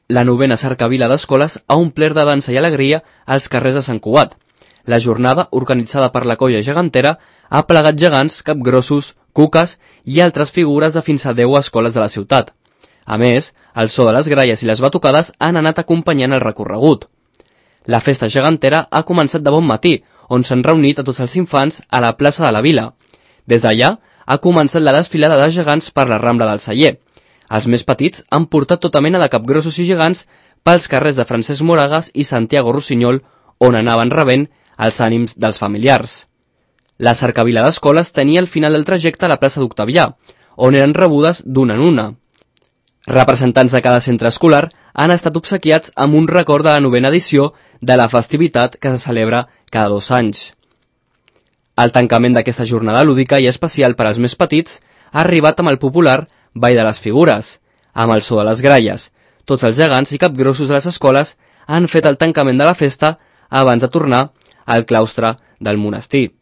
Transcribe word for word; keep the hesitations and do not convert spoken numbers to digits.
la novena cercavila d'escoles ha omplert de dansa i alegria als carrers de Sant Cugat. La jornada, organitzada per la colla gegantera, ha plegat gegants, capgrossos, cuques i altres figures de fins a deu escoles de la ciutat. A més, el so de les gralles i les batucades han anat acompanyant el recorregut. La festa gegantera ha començat de bon matí, on s'han reunit a tots els infants a la plaça de la Vila. Des d'allà ha començat la desfilada de gegants per la Rambla del Celler. Els més petits han portat tota mena de capgrossos i gegants pels carrers de Francesc Moragas i Santiago Rossinyol, on anaven rebent els ànims dels familiars. La cercavila d'escoles tenia el final del trajecte a la plaça d'Octavià, on eren rebudes d'una en una. Representants de cada centre escolar han estat obsequiats amb un record de la novena edició de la festivitat que se celebra cada dos anys. El tancament d'aquesta jornada lúdica i especial per als més petits ha arribat amb el popular Ball de les Figures, amb el so de les gralles. Tots els gegants i capgrossos de les escoles han fet el tancament de la festa abans de tornar al claustre del monestir.